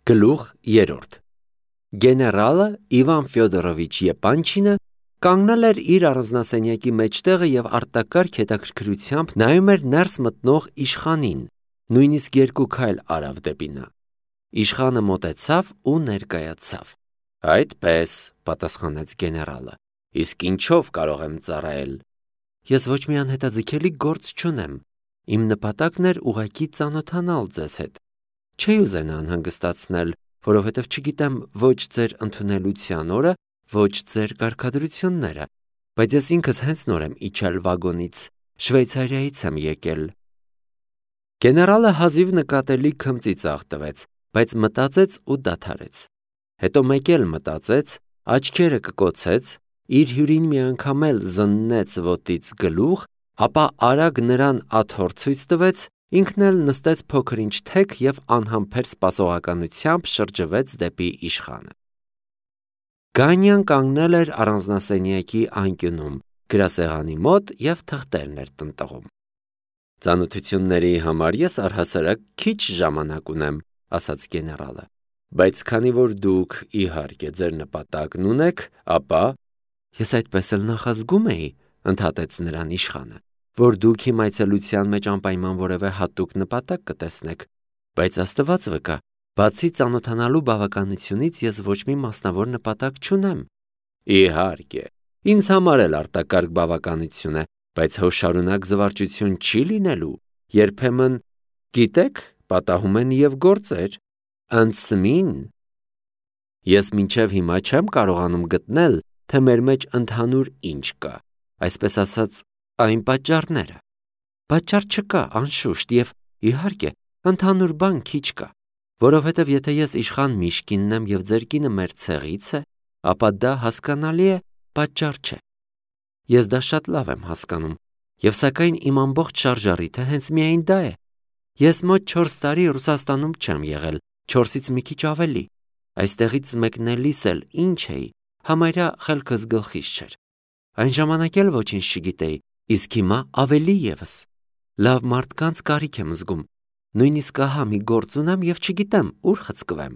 Գլուխ 3 Գեներալը Իվան Ֆյոդորովիչ Եպանչինը կանգնել էր իր առանձնասենյակի մեջտեղը և արտակարգ հետաքրքրությամբ նայում էր ներս մտնող իշխանին, նույնիսկ 2 քայլ արավ դեպի նա։ Իշխանը մոտեցավ ու ներկայացավ։ «Այդպես», պատասխանեց գեներալը, «իսկ ինչով կարող եմ ծառայել»։ «Ես ոչ մի անհետաձգելի գործ չունեմ։ Իմ նպատակն էր ուղղակի ծանոթանալ ձեզ հետ։ Չէի ուզենա անհանգստացնել, որովհետև չգիտեմ ոչ ձեր ընդունելության օրը, ոչ ձեր կարգադրությունները, բայց ես ինքս հենց նոր եմ իջել վագոնից, Շվեյցարիայից եմ եկել»։ Գեներալը հազիվ նկատելի քմծիծաղ տվեց, բայց մտածեց ու դադարեց։ Հետո մեկ էլ մտածեց, աչքերը կկոցեց, իր հյուրին մի անգամ էլ զննեց ոտից գլուխ, ապա արագ նրան աթոռ ցույց տվեց, ինքն էլ նստեց փոքր-ինչ թեք և անհամբեր սպասողականությամբ շրջվեց դեպի իշխանը։ Գանյան կանգնել էր առանձնասենյակի անկյունում, գրասեղանի մոտ և թղթերն էր տնտղում։ «Ծանոթությունների համար ես առհասարակ քիչ ժամանակ ունեմ», ասաց գեներալը, «բայց քանի որ դուք, իհարկե, ձեր նպատակն ունեք, ապա...» «Ես այդպես էլ նախազգում էի», ընդհատեց նրան իշխանը, «որ դուք իմ այցելության մեջ անպայման որևէ հատուկ նպատակ կտեսնեք, բայց Աստված վկա, բացի ծանոթանալու բավականությունից ես ոչ մի մասնավոր նպատակ չունեմ»։ «Իհարկե, ինձ համար էլ արտակարգ բավականություն է, բայց հո շարունակ զվարճություն չի լինելու, երբեմն, գիտեք, պատահում են և գործեր, ընծմին։ Ես մինչև հիմա չեմ կարողանում գտնել, թե մեր մեջ ընդհանուր ինչ կա, այսպես ասած, այն պատճառները։ Պատճառ չկա, անշուշտ, և, իհարկե, ընդհանուր բան քիչ կա, որովհետև եթե ես իշխան Միշկինն եմ և ձեր կինը մեր ցեղից է, ապա դա հասկանալի է, պատճառ չէ։ Ես դա շատ լավ եմ հասկանում, և սակայն իմ ամբողջ շարժառիթը հենց միայն դա է։ Ես մոտ 4 տարի Ռուսաստանում չեմ եղել, 4-ից մի քիչ ավելի։ Այստեղից մեկնելիս էլ ինչ էի, համարյա խելքս գլխիս չէր։ Այն ժամանակ էլ ոչինչ չգիտեի, իսկ հիմա ավելի ևս։ Լավ մարդկանց կարիք եմ զգում, նույնիսկ ահա մի գործ ունեմ և չգիտեմ ուր խցկվեմ։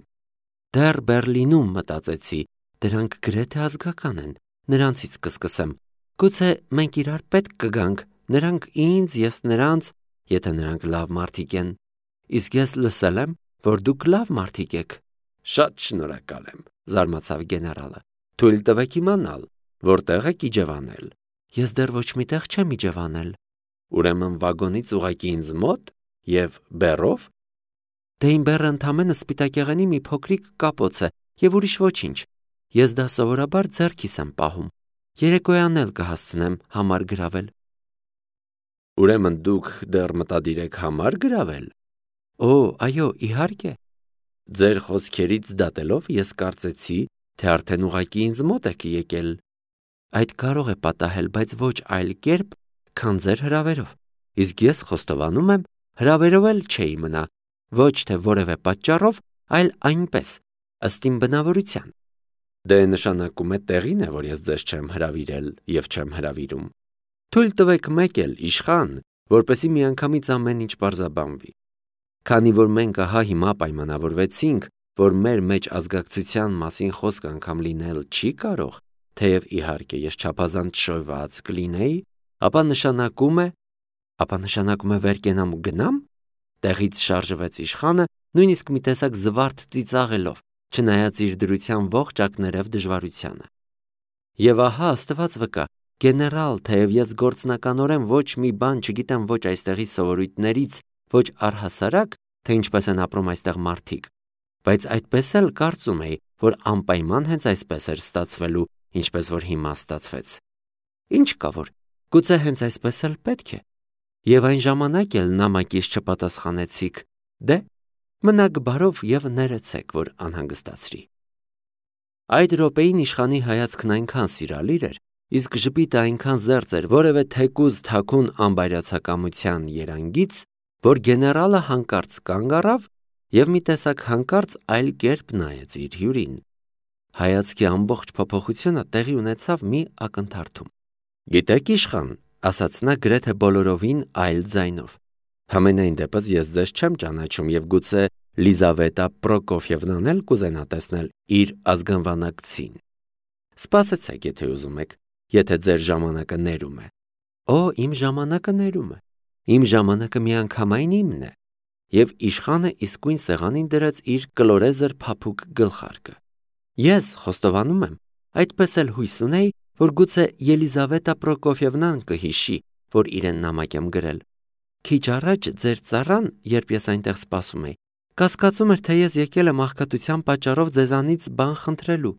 Դեռ Բեռլինում մտածեցի, դրանք գրեթե ազգական են, նրանցից կսկսեմ։ Գուցե մենք իրար պետք կգանք, նրանք ինձ, ես նրանց, եթե նրանք լավ մարդիկ են։ Իսկ ես լսել եմ, որ դուք լավ մարդիկ եք։ Շատ շնորհակալ եմ, զարմացավ գեներալը։ Թույլ տվեք իմանալ, որտեղ եք իջևանել։ Ես դեռ ոչ մի տեղ չեմ իջևանել։ Ուրեմն վագոնից ուղղակի ինձ մոտ և բեռով։ Դե իմ բեռը ընդամենը սպիտակեղենի մի փոքրիկ կապոց է և ուրիշ ոչինչ։ Ես դա սովորաբար ձեռքիս եմ պահում։ Երեկոյան էլ կհասցնեմ համար գրավել։ Ուրեմն դուք դեռ մտադիր եք համար գրավել։ Օ, այո, իհարկե։ Ձեր խոսքերից դատելով ես կարծեցի, թե արդեն ուղղակի ինձ մոտ եք եկել։ Այդ կարող է պատահել, բայց ոչ այլ կերպ, քան ձեր հրավերով։ Իսկ ես խոստովանում եմ, հրավերով էլ չէի մնա, ոչ թե որևէ պատճառով, այլ այնպես, ըստ իմ բնավորության։ Դե նշանակում է տեղին է, որ ես ձեզ չեմ հրավիրել և չեմ հրավիրում։ Թույլ տվեք մեկ էլ, իշխան, որպեսզի միանգամից ամեն ինչ պարզաբանվի։ Քանի որ մենք ահա հիմա պայմանավորվեցինք, որ մեր մեջ ազգակցության մասին խոսք անգամ լինել չի կարող, թեև իհարկե ես չափազանց շոյված կլինեի, ապա նշանակում է վեր կենամ ու գնամ։ Տեղից շարժվեց իշխանը, նույնիսկ մի տեսակ զվարթ ծիծաղելով, չնայած իր դրության ողջ ակներև դժվարությանը։ Եվ ահա Աստված վկա, գեներալ, թեև ես գործնականորեն ոչ մի բան չգիտեմ ոչ այստեղի սովորույթներից, ոչ առհասարակ, թե ինչպես են ապրում այստեղ մարդիկ, բայց այդպես էլ կարծում էի, որ անպայման հենց այսպես էր ստացվելու, ինչպես որ հիմա ստացվեց։ Ինչ կա որ, գուցե հենց այսպես էլ պետք է։ Եվ այն ժամանակ էլ նամակից չպատասխանեցիք, դե, մնաք բարով և ներեցեք, որ անհանգստացրի։ Այդ րոպեին իշխանի հայացքն այնքան սիրալիր էր, իսկ ժպիտը այնքան զերծ էր որևէ թեկուզ թաքուն անբայրացակամության երանգից, որ գեներալը հանկարծ կանգ առավ և մի տեսակ հանկարծ այլ կերպ նայեց իր հյուրին։ Հայացքի ամբողջ փոփոխությունը տեղի ունեցավ մի ակնթարթում։ Գիտեք, իշխան, ասաց նա գրեթե բոլորովին այլ ձայնով, համենայն դեպս ես ձեզ չեմ ճանաչում և գուցե Լիզավետա Պրոկոֆյևնան էլ կուզենա տեսնել իր ազգանվանակցին։ Սպասեցեք, եթե ուզում եք, եթե ձեր ժամանակը ներում է։ Օ, իմ ժամանակը ներում է։ Իմ ժամանակը միանգամայն իմն է։ Եվ իշխանը իսկույն սեղանին դրեց իր կլորեզր փափուկ գլխարկը։ Ես խոստովանում եմ, այդպես էլ հույս ունեի, որ գուցե Ելիզավետա Պրոկոֆյևնան կհիշի, որ իրեն նամակ եմ գրել։ Քիչ առաջ ձեր ծառան, երբ ես այնտեղ սպասում էի, կասկածում էր, թե ես եկել եմ աղքատության պատճառով ձեզանից բան խնդրելու։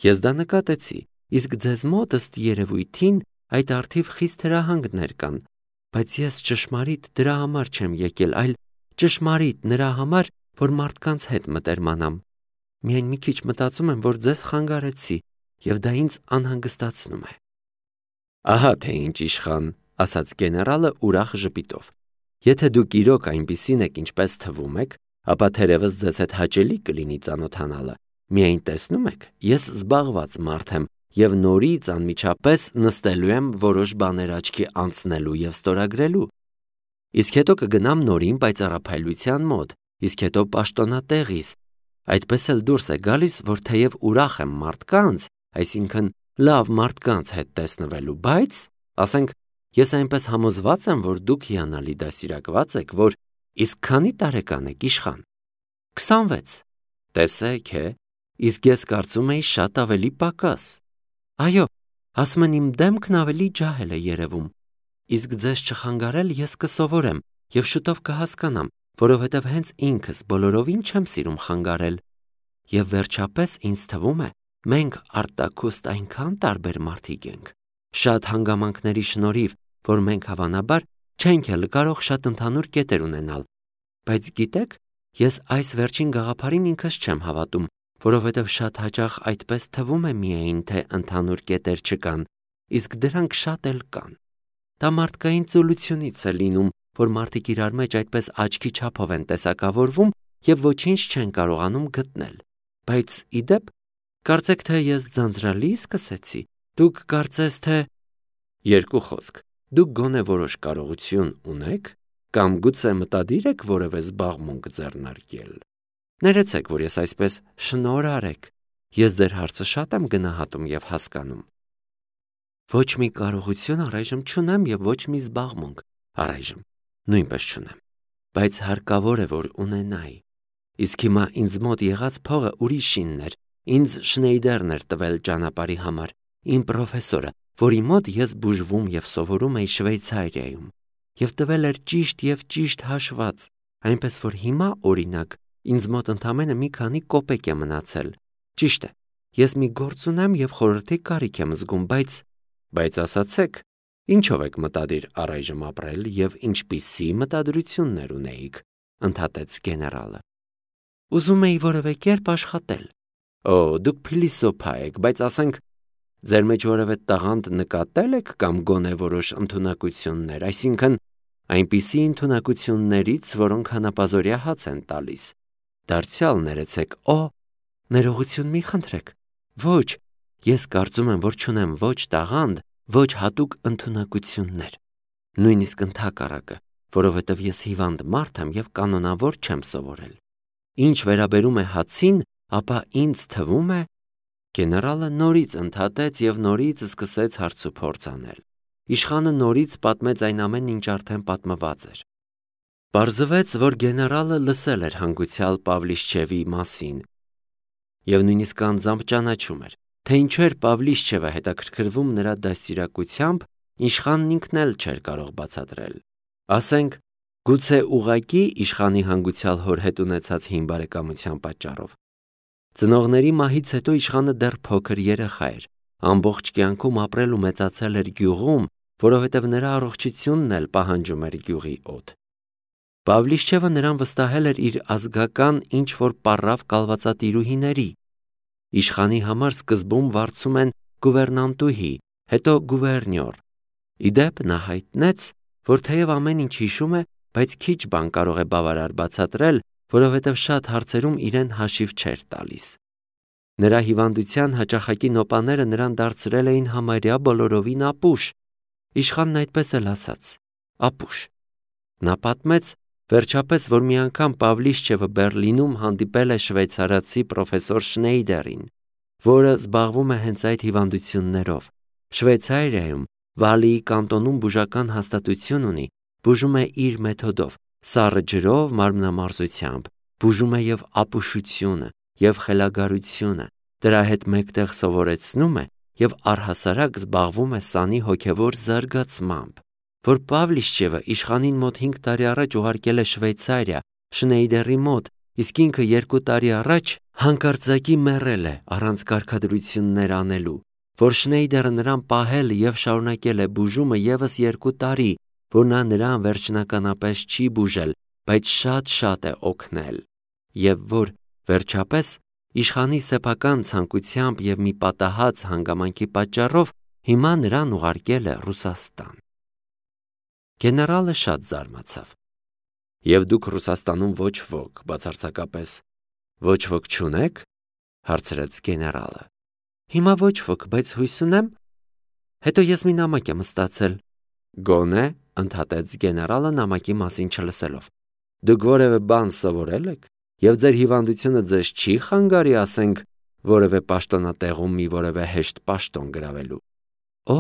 Ես դա նկատեցի, իսկ ձեզ մոտ ըստ երևույթին այդ արդիվ խիստ հրահանգներ կան, բայց ես ճշմարիտ դրա համար չեմ եկել, այլ ճշմարիտ նրա համար, որ մարդկանց հետ մտերմանամ։ Միայն մի քիչ մտածում եմ, որ ձեզ խանգարեցի, եւ դա ինձ անհանգստացնում է։ Ահա թե ինչ իշխան, ասաց գեներալը ուրախ ժպիտով։ Եթե դուք իրոք այնպիսին եք, ինչպես թվում եք, ապա թերևս ձեզ հետ հաճելի կլինի ծանոթանալը։ Միայն տեսնում եք, ես զբաղված մարդ եմ եւ նորից անմիջապես նստելու եմ որոշ բաներ աչքի անցնելու եւ ստորագրելու։ Իսկ հետո կգնամ նորին պայծառափայլության մոտ, իսկ հետո պաշտոնատեղիս։ Այդպես էլ դուրս է գալիս, որ թեև ուրախ եմ մարդկանց, այսինքն լավ մարդկանց հետ տեսնվելու, բայց, ասենք, ես այնպես համոզված եմ, որ դուք հիանալի դասիրակված եք, որ իսկ քանի տարեկան եք իշխան։ 26։ Տեսեք, իսկ ես կարծում էի շատ ավելի պակաս։ Այո, ասում են իմ դեմքն ավելի ջահել է երևում։ Իսկ ձեզ չխանգարել ես կսովորեմ եւ շուտով կհասկանամ, որովհետեւ հենց ինքս բոլորովին չեմ սիրում խանգարել։ Եվ վերջապես ինձ թվում է, մենք արտաքուստ այնքան տարբեր մարդիկ ենք, շատ հանգամանքների շնորհիվ, որ մենք հավանաբար չենք էլ կարող շատ ընդհանուր կետեր ունենալ։ Բայց գիտեք, ես այս վերջին գաղափարին ինքս չեմ հավատում, որովհետև շատ հաճախ այդպես թվում է միայն, թե ընդհանուր կետեր չկան, իսկ դրանք շատ էլ կան։ Դա մարդկային ծուլությունից է լինում, որ մարդիկ իրար մեջ այդպես աչքի չափով են տեսակավորվում եւ ոչինչ չեն կարողանում գտնել։ Բայց իդեպ, կարծեք թե ես ձանձրալի սկսեցի։ Դուք կարծես թե երկու խոսք։ Դուք գոնե որոշ կարողություն ունեք կամ գուցե մտադիր եք որևէ զբաղմունք ձեռնարկել։ Ներեցեք, որ ես այսպես շնորհ արեք։ Ես ձեր հարցը շատ եմ գնահատում եւ հասկանում։ Ոչ մի կարողություն առայժմ չունեմ եւ ոչ մի զբաղմունք առայժմ նույնպես չունեմ, բայց հարկավոր է, որ ունենայի։ Իսկ հիմա ինձ մոտ եղած փողը ուրիշինն էր, ինձ Շնեյդերն էր տվել ճանապարհի համար, իմ պրոֆեսորը, որի մոտ ես բուժվում եւ սովորում էի Շվեյցարիայում, եւ տվել էր ճիշտ հաշված, այնպես որ հիմա, օրինակ, ինձ մոտ ընդամենը մի քանի կոպեկ է մնացել։ Ճիշտ է, ես մի գործ ունեմ եւ խորհրդի կարիք եմ զգում, բայց ասացեք, ինչով եք մտադիր առայժմ ապրել եւ ինչպիսի մտադրություններ ունեիք, ընդհատեց գեներալը։ Ուզում էի որևէ կերպ աշխատել։ Օ, դուք փիլիսոփա եք, բայց ասենք, ձեր մեջ որևէ տաղանդ նկատել եք կամ գոնե որոշ ընդունակություններ, այսինքն այնպիսի ընդունակություններից, որոնք հանապազորյա հաց են տալիս։ Դարձյալ ներեցեք, ներողություն մի խնդրեք։ Ոչ, ես կարծում եմ, որ չունեմ ոչ տաղանդ, ոչ հատուկ ընդունակություններ։ Նույնիսկ ընդհակառակը, որովհետև ես հիվանդ մարդ եմ եւ կանոնավոր չեմ սովորել։ Ինչ վերաբերում է հացին, ապա ինձ թվում է, գեներալը նորից ընդհատեց եւ նորից սկսեց հարցուփորձ անել։ Իշխանը նորից պատմեց այն ամենն, ինչ արդեն պատմված էր։ Պարզվեց, որ գեներալը լսել էր հանգուցյալ Պավլիշչևի մասին եւ նույնիսկ անձամբ ճանաչում էր, թե ինչու էր Պավլիշչևը հետաքրքրվում նրա դաստիարակությամբ, իշխանն ինքն էլ չէր կարող բացատրել։ Ասենք, գուցե ուղղակի իշխանի հանգուցյալ հոր հետ ունեցած հին բարեկամության պատճառով։ Ծնողների մահից հետո իշխանը դեռ փոքր երեխա էր, ամբողջ կյանքում ապրել ու մեծացել էր գյուղում, որովհետև նրա առողջությունն էլ պահանջում էր գյուղի օդ։ Պավլիշչևը նրան վստահել էր իր ազգական ինչ-որ պառավ կալվածատիրուհիների։ Իշխանի համար սկզբում վարձում են գուվերնանտուհի, հետո գուվերնյոր։ Իդեպ նա հայտնեց, որ թեև ամեն ինչ հիշում է, բայց քիչ բան կարող է բավարար բացատրել, որովհետև շատ հարցերում իրեն հաշիվ չէր տալիս։ Նրա հիվանդության հաճախակի նոպաները նրան դարձրել էին համարյա բոլորովին ապուշ։ Իշխանն այդպես էլ ասաց. ապուշ։ Նա պատմեց, Վերջապես, որ մի անգամ Պավլիշչևը Բերլինում հանդիպել է շվեյցարացի պրոֆեսոր Շնեյդերին, որը զբաղվում է հենց այդ հիվանդություններով։ Շվեյցարիայում Վալիի կանտոնում բուժական հաստատություն ունի, բուժում է իր մեթոդով, սառը ջրով, մարմնամարզությամբ, բուժում է եւ ապուշությունը, եւ խելագարությունը, դրա հետ մեկտեղ սովորեցնում է եւ առհասարակ զբաղվում է սանի հոգեվոր զարգացմամբ։ Որ Պավլիշչևը իշխանին մոտ 5 տարի առաջ ուղարկել է Շվեյցարիա Շնեյդերի մոտ, իսկ ինքը 2 տարի առաջ հանկարծակի մեռել է առանց կարգադրություններ անելու, որ Շնեյդերը նրան պահել եւ շարունակել է բուժումը եւս 2 տարի, որ նա նրան վերջնականապես չի բուժել, բայց շատ է օգնել, եւ որ վերջապես իշխանի սեփական ցանկությամբ եւ մի պատահած հանգամանքի պատճառով հիմա նրան ուղարկել է Ռուսաստան։ Գեներալը շատ զարմացավ։ Եվ դուք Ռուսաստանում ոչ ոք, բացարձակապես ոչ ոք չունեք, հարցրեց գեներալը։ Հիմա ոչ ոք, բայց հույս ունեմ։ Հետո ես մի նամակ եմ ստացել։ Գոնե, ընդհատեց գեներալը նամակի մասին չլսելով։ Դուք որևէ բան սովորել եք, եւ ձեր հիվանդությունը ձեզ չի խանգարի, ասենք, որևէ պաշտոնատեղում մի որևէ հեշտ պաշտոն գրավելու։ Օ,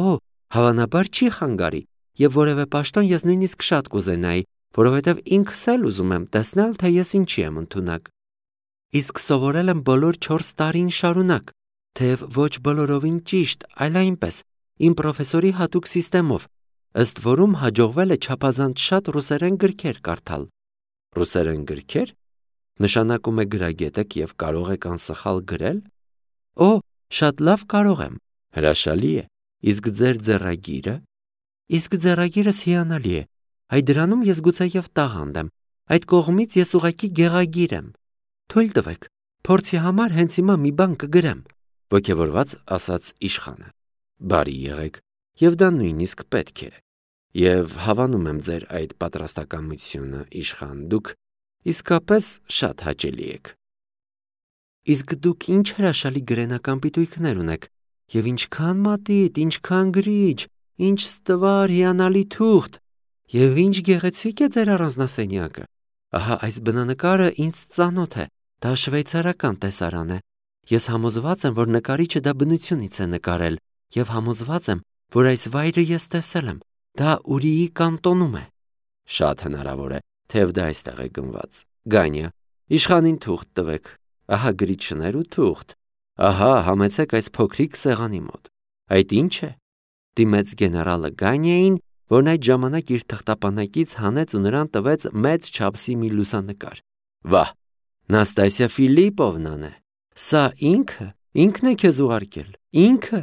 հավանաբար չի խանգարի, եւ որևէ պաշտոն ես նույնիսկ շատ կուզենայի, որովհետեւ ինքս էլ ուզում եմ տեսնել, թե ես ինչի եմ ընդունակ։ Իսկ սովորել եմ բոլոր 4 տարին շարունակ, թեև ոչ բոլորովին ճիշտ, այլ այնպես, իմ պրոֆեսորի հատուկ սիստեմով, ըստ որում հաջողվել է չափազանց շատ ռուսերեն գրքեր կարդալ։ Ռուսերեն գրքեր? Նշանակում է գրագետ եք եւ կարող եք անսխալ գրել։ Օ, շատ լավ կարող եմ։ Հրաշալի է։ Իսկ ձեր ձեռագիրը? Իսկ ձեռագիրս հիանալի է։ Այդ դրանում ես գուցեև տաղանդ եմ։ Այդ կողմից ես ուղղակի գեղագիր եմ։ Թույլ տվեք, փորձի համար հենց հիմա մի բան կգրեմ, ոգևորված ասաց իշխանը։ Բարի եղեք, եւ դա նույնիսկ պետք է։ Եվ հավանում եմ ձեր այդ պատրաստակամությունը, իշխան, դուք իսկապես շատ հաճելի եք։ Իսկ դուք ինչ հրաշալի գրենական պիտույքներ ունեք, եւ ինչքան մատիտ, ինչքան գրիչ, ինչ ստվար հիանալի թուղթ, եւ ինչ գեղեցիկ է ձեր առանձնասենյակը։ Ահա այս բնանկարը ինձ ծանոթ է, դա շվեյցարական տեսարան է։ Ես համոզված եմ, որ նկարիչը դա բնությունից է նկարել, եւ համոզված եմ, որ այս վայրը ես տեսել եմ, դա Ուրիի կանտոնում է։ Շատ հնարավոր է, թեև դա այստեղ է գնված։ Գանյա, իշխանին թուղթ տվեք։ Ահա գրիչներ ու թուղթ։ Ահա համեցեք այս փոքրիկ սեղանի մոտ։ Այդ ինչ է։ Դիմեց գեներալը Գանյային, որն այդ ժամանակ իր թղթապանակից հանեց ու նրան տվեց մեծ չափսի մի լուսանկար։ Վահ, Նաստասիա Ֆիլիպովնան է։ Սա ինքն է քեզ ուղարկել։ Ինքը։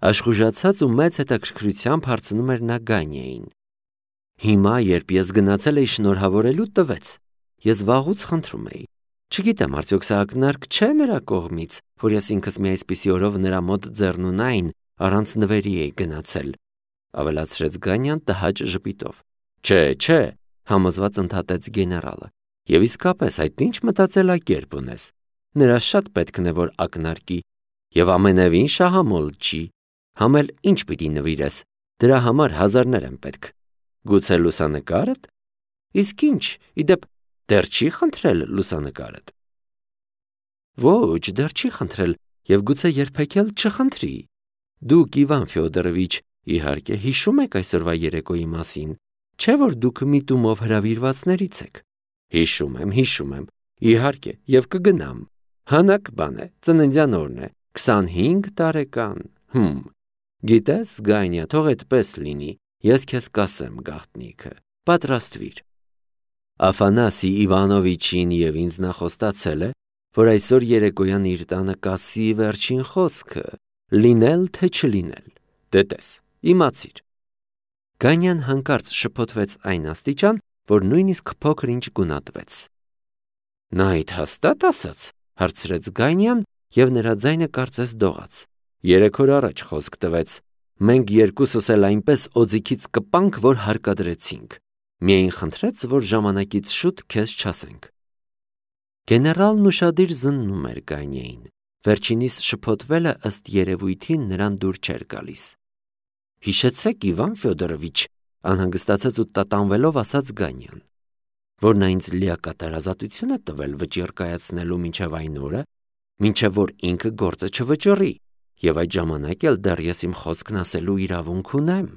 Աշխուժացած ու մեծ հետաքրքրությամբ հարցնում էր նա Գանյային։ Հիմա, երբ ես գնացել էի շնորհավորելու, տվեց։ Ես վաղուց խնդրում էի։ Չգիտեմ, արդյոք սա ակնարկ չէ նրա կողմից, որ ես ինքս մի այսպիսի օրով նրա մոտ ձեռնունայն առանց նվերի էի գնացել, ավելացրեց Գանյան տհաճ ժպիտով։ Չէ, համոզված ընդհատեց գեներալը։ Եվ իսկապես այդ ինչ մտածելակերպ ունես։ Նրա շատ պետքն է, որ ակնարկի, եւ ամենևին շահամոլ չի։ Համել ինչ պիտի նվիրես, դրա համար հազարներ են պետք։ Գուցե լուսանկարդ։ Իսկ ինչ, իդեպ դեռ չի խնդրել լուսանկարդ։ Ոչ, դեռ չի խնդրել, եւ գուցե երբեք էլ չխնդրի։ Դուք, Իվան Ֆյոդորովիչ, իհարկե հիշում եք այսօրվա երեկոյի մասին, չէ՞ որ դուք միտումով հրավիրվածներից եք։ Հիշում եմ, իհարկե, եւ կգնամ։ Հանակ բան է, ծննդյան օրն է, 25 տարեկան։ Գիտես, Գանյա, թող այդպես լինի, ես քեզ կասեմ գաղտնիքը, պատրաստվիր։ Աֆանասի Իվանովիչին եւ ինձ նախոստացել է, որ այսօր երեկոյան իր տանը կասի վերջին խոսքը, լինել թե չլինել։ Դե տես, իմացիր։ Գանյան հանկարծ շփոթվեց այն աստիճան, որ նույնիսկ փոքր ինչ գունատվեց։ Նա այդ հաստատ ասաց, հարցրեց Գանյան, եւ նրա ձայնը կարծես դողաց։ 3 օր առաջ խոսք տվեց։ Մենք երկուսս էլ այնպես օձիքից կպանք, որ հարկադրեցինք։ Միայն խնդրեց, որ ժամանակից շուտ քեզ չասենք։ Գեներալն ուշադիր զննում էր Գանյային։ Վերջինիս շփոթվելը ըստ երևույթին նրան դուր չէր գալիս։ Հիշեցեք, Իվան Ֆյոդորովիչ, անհանգստացած ու տատանվելով ասաց Գանյան։ որ նա ինձ լիակատար ազատություն է տվել վճիռ կայացնելու մինչև այն օրը, մինչև որ ինքը գործը չվճռի, եւ այդ ժամանակ էլ դեռ ես իմ խոսքն ասելու իրավունք ունեմ։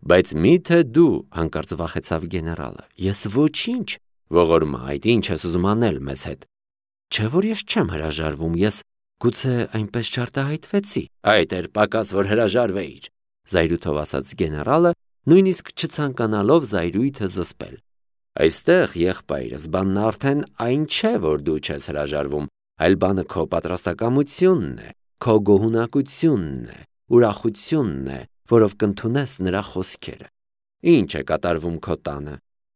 Բայց միթե դու, հանկարծ վախեցավ գեներալը, ես ոչինչ, ողորմա, այդ ինչ ես ուզում անել մեզ հետ։ Չէ՞ որ ես չեմ հրաժարվում, ես գուցե այնպես չարտահայտվեցի։ Այդ էր պակաս, որ հրաժարվեիր, զայրույթով ասաց գեներալը, նույնիսկ չցանկանալով զայրույթը զսպել։ Այստեղ, եղբայրս, բանն արդեն այն չէ, որ դու չես հրաժարվում, այլ բանը քո պատրաստակամությունն է, քո գոհունակությունն է, ուրախությունն է, որով կընդունես նրա խոսքերը։ Ինչ է կատարվում քո տանը։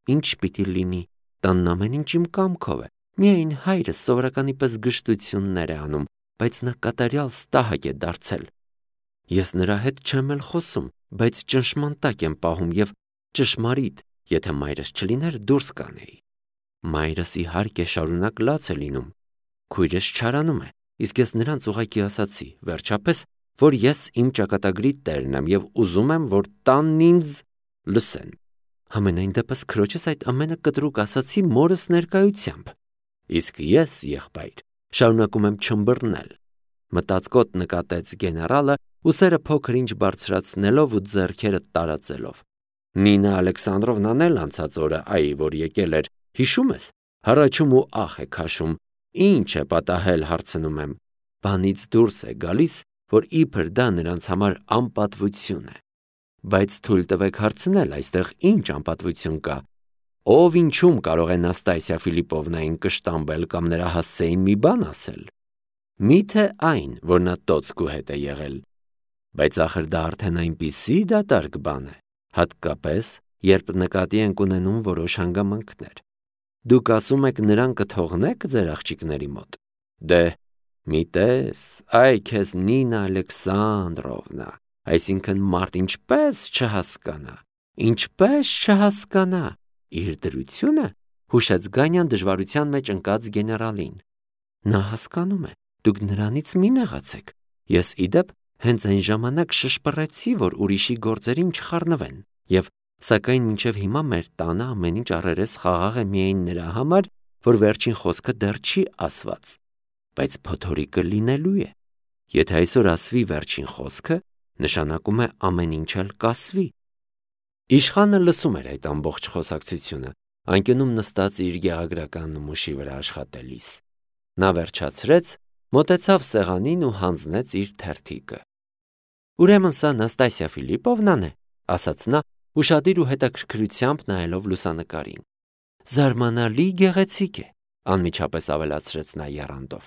Ինչ պիտի լինի։ Տանն ամեն ինչ իմ կամքով է։ Միայն հայրս սովորականի պես գժտություններ է անում, բայց նա կատարյալ ստահակ է դարձել։ Ես նրա հետ չեմ էլ խոսում, բայց ճնշման տակ եմ պահում եւ ճշմարիտ, եթե մայրս չլիներ, դուրս կանեի։ Մայրս իհարկե շարունակ լաց է լինում։ Քույրս չարանում է, իսկ ես նրանց ուղղակի ասացի, վերջապես, որ ես իմ ճակատագրի տերն եմ եւ ուզում եմ, որ տանն ինձ լսեն։ Համենայն դեպս քրոջս այդ ամենը կտրուկ ասացի մորս ներկայությամբ։ Իսկ ես, եղբայր, շարունակում եմ չմբռնել։ Մտածկոտ նկատեց գեներալը, ուսերը փոքր-ինչ բարձրացնելով ու ձեռքերը տարածելով։ Նինա Ալեքսանդրովնան էլ անցած օրը, որ եկել էր, հիշում ես, հառաչում ու ախ է քաշում, ինչ է պատահել, հարցնում եմ։ Բանից դուրս է գալիս, որ իբր դա նրանց համար անպատվություն է։ Բայց թույլ տվեք հարցնել, այստեղ ինչ անպատվություն կա։ Ով ինչում կարող է Նաստասիա Ֆիլիպովնային կշտամբել կամ նրա հասցեին մի բան ասել։ Միթե այն, որ նա տոցկու հետ է եղել։ Բայց ախր դա արդեն այնպիսի դատարկ բան է, հատկապես, երբ նկատի ենք ունենում որոշ հանգամանքներ։ Դուք ասում եք նրան կթողնեք ձեր աղջիկների մոտ։ Դե, մի տես, այ քեզ Նինա Ալեքսանդրովնա, այսինքն մարդ ինչպես չհասկանա, իր դրությունը, հուշեց Գանյան դժվարության մեջ ընկած գեներալին։ Նա հասկանում է, դուք նրանից մի նեղացեք։ Ես իդեպ հենց այն ժամանակ շշպռեցի, որ ուրիշի գործերին չխառնվեն, եւ սակայն մինչև հիմա մեր տանը ամեն ինչ առերես խաղաղ է միայն նրա համար, որ վերջին խոսքը դեռ չի ասված, բայց փոթորիկը լինելու է։ Եթե այսօր ասվի վերջին խոսքը, նշանակում է ամեն ինչ էլ կասվի։ Իշխանը լսում էր այդ ամբողջ խոսակցությունը, անկյունում նստած իր գեղագրական նմուշի վրա աշխատելիս։ Նա վերջացրեց, մոտեցավ սեղանին ու հանձնեց իր թերթիկը։ Ուրեմն սա Նաստասիա Ֆիլիպովնան է, ասաց նա, ուշադիր ու հետաքրքրությամբ նայելով լուսանկարին։ Զարմանալի գեղեցիկ է, անմիջապես ավելացրեց նա եռանդով։